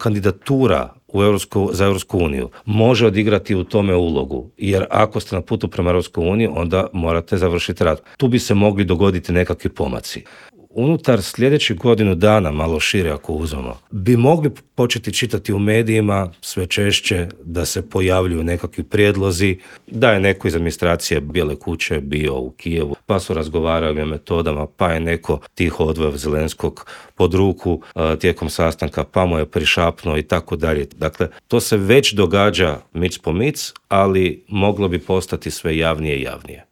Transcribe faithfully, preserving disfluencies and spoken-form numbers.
kandidatura u Europsku, za Europsku uniju može odigrati u tome ulogu, jer ako ste na putu prema Europskoj uniji, onda morate završiti rad. Tu bi se mogli dogoditi nekakvi pomaci. Unutar sljedećih godinu dana, malo šire ako uzmemo, bi mogli početi čitati u medijima sve češće da se pojavljuju nekakvi prijedlozi, da je neko iz administracije Bijele kuće bio u Kijevu, pa su razgovarali o metodama, pa je neko tiho odveo Zelenskog pod ruku uh, tijekom sastanka, pa mu je prišapnuo i tako dalje. Dakle, to se već događa mic po mic, ali moglo bi postati sve javnije i javnije.